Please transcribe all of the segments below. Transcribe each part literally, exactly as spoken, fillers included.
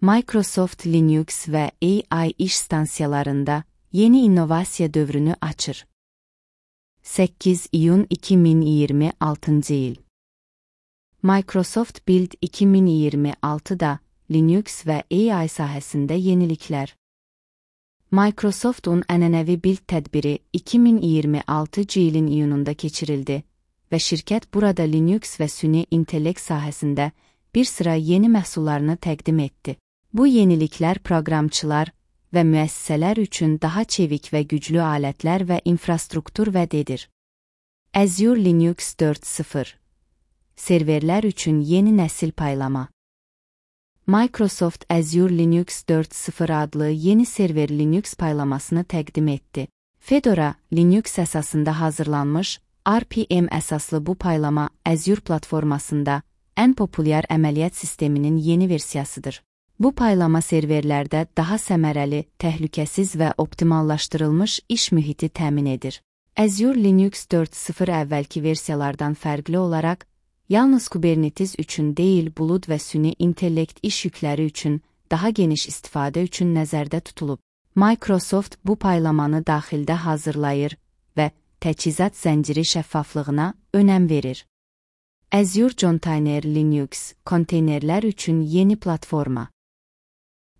Microsoft Linux ve A I iş stansiyalarında yeni innovasiya dövrünü açır. sekiz iyun iki bin iyirmi altıncı yıl. Microsoft Build iki bin iyirmi altıda Linux ve A I sahəsində yeniliklər. Microsoft'un ənənəvi Build tədbiri iki bin iyirmi altıncı ilin iyununda keçirildi və şirkət burada Linux və süni intellekt sahəsində bir sıra yeni məhsullarını təqdim etdi. Bu yeniliklər proqramçılar və müəssisələr üçün daha çevik və güclü alətlər və infrastruktur vəd edir. Azure Linux dörd nöqtə sıfır Serverlər üçün yeni nəsil paylama. Microsoft Azure Linux dörd nöqtə sıfır adlı yeni server Linux paylamasını təqdim etdi. Fedora Linux əsasında hazırlanmış, R P M əsaslı bu paylama Azure platformasında ən populyar əməliyyat sisteminin yeni versiyasıdır. Bu paylama serverlərdə daha səmərəli, təhlükəsiz və optimallaşdırılmış iş mühiti təmin edir. Azure Linux dörd nöqtə sıfır əvvəlki versiyalardan fərqli olaraq, yalnız Kubernetes üçün deyil, bulud və süni intellekt iş yükləri üçün daha geniş istifadə üçün nəzərdə tutulub. Microsoft bu paylamanı daxildə hazırlayır və təchizat zənciri şəffaflığına önəm verir. Azure Container Linux konteynerlər üçün yeni platforma.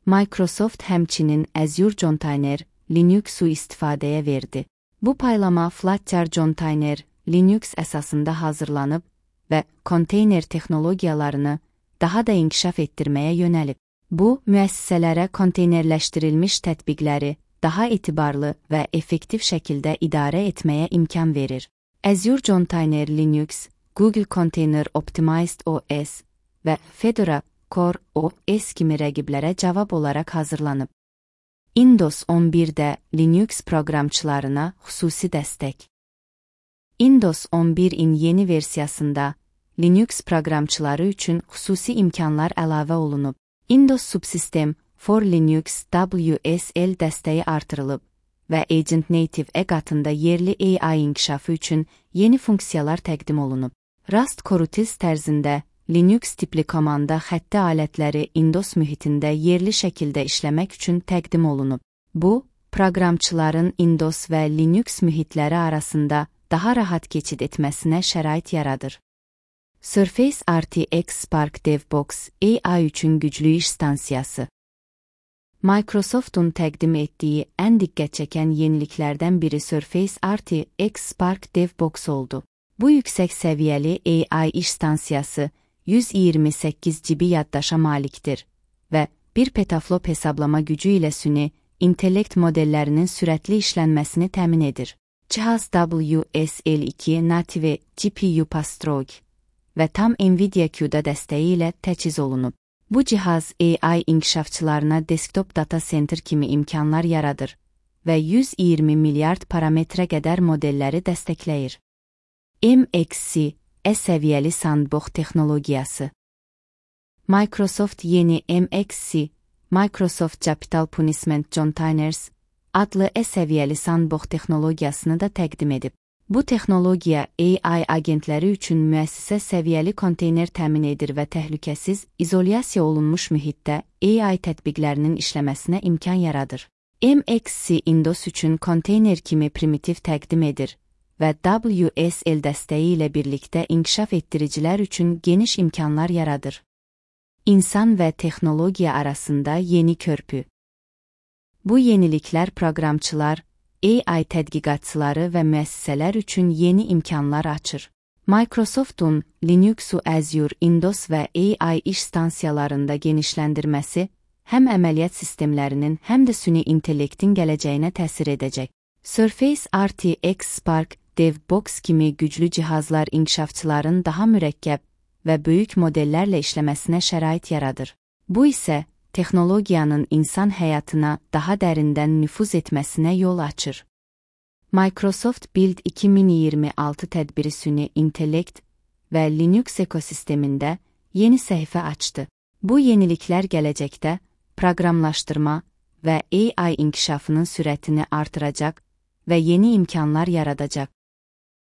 Microsoft həmçinin Azure Container Linux'u istifadəyə verdi. Bu paylama Flutter Container Linux əsasında hazırlanıb və konteyner texnologiyalarını daha da inkişaf etdirməyə yönəlib. Bu, müəssisələrə konteynerləşdirilmiş tətbiqləri daha etibarlı və effektiv şəkildə idarə etməyə imkan verir. Azure Container Linux, Google Container Optimized O S və Fedora Core O S kimi rəqiblərə cavab olaraq hazırlanıb. Windows on birdə Linux proqramçılarına xüsusi dəstək. Windows on birin yeni versiyasında Linux proqramçıları üçün xüsusi imkanlar əlavə olunub. Windows Subsystem for Linux W S L dəstəyi artırılıb və Agent Native E qatında yerli A I inkişafı üçün yeni funksiyalar təqdim olunub. Rust Corutils tərzində Linux tipli komanda xətti alətləri Windows mühitində yerli şəkildə işləmək üçün təqdim olunub. Bu, proqramçıların Windows və Linux mühitləri arasında daha rahat keçid etməsinə şərait yaradır. Surface R T X Spark DevBox A I üçün güclü iş stansiyası. Microsoft'un təqdim etdiyi ən diqqət çəkən yeniliklərdən biri Surface R T X Spark DevBox oldu. Bu yüksək səviyyəli A I iş stansiyası yüz iyirmi səkkiz giqabayt yaddaşa malikdir və bir petaflop hesablama gücü ilə süni intellekt modellərinin sürətli işlənməsini təmin edir. Cihaz W S L iki Native G P U Pastrog və tam Nvidia Q D A dəstəyi ilə təchiz olunub. Bu cihaz A I inkişafçılarına desktop data center kimi imkanlar yaradır və yüz iyirmi milyard parametrə qədər modelləri dəstəkləyir. M X C E səviyyəli sandbox texnologiyası. Microsoft yeni M X C, Microsoft Capital Punishment Containers adlı E səviyyəli sandbox texnologiyasını da təqdim edib. Bu texnologiya A I agentləri üçün müəssisə səviyyəli konteyner təmin edir və təhlükəsiz, izolyasiya olunmuş mühitdə A I tətbiqlərinin işləməsinə imkan yaradır. M X C Windows üçün konteyner kimi primitiv təqdim edir və W S L dəstəyi ilə birlikdə inkişaf etdiricilər üçün geniş imkanlar yaradır. İnsan və texnologiya arasında yeni körpü. Bu yeniliklər proqramçılar, A I tədqiqatçıları və müəssisələr üçün yeni imkanlar açır. Microsoft'un Linux'u Azure, Windows və A I iş stansiyalarında genişləndirməsi həm əməliyyat sistemlərinin, həm də süni intellektin gələcəyinə təsir edəcək. Surface R T X Spark DevBox kimi güclü cihazlar inkişafçıların daha mürəkkəb və böyük modellərlə işləməsinə şərait yaradır. Bu isə texnologiyanın insan həyatına daha dərindən nüfuz etməsinə yol açır. Microsoft Build iki min iyirmi altı tədbiri süni intellekt və Linux ekosistemində yeni səhifə açdı. Bu yeniliklər gələcəkdə proqramlaşdırma və A I inkişafının sürətini artıracaq və yeni imkanlar yaradacaq.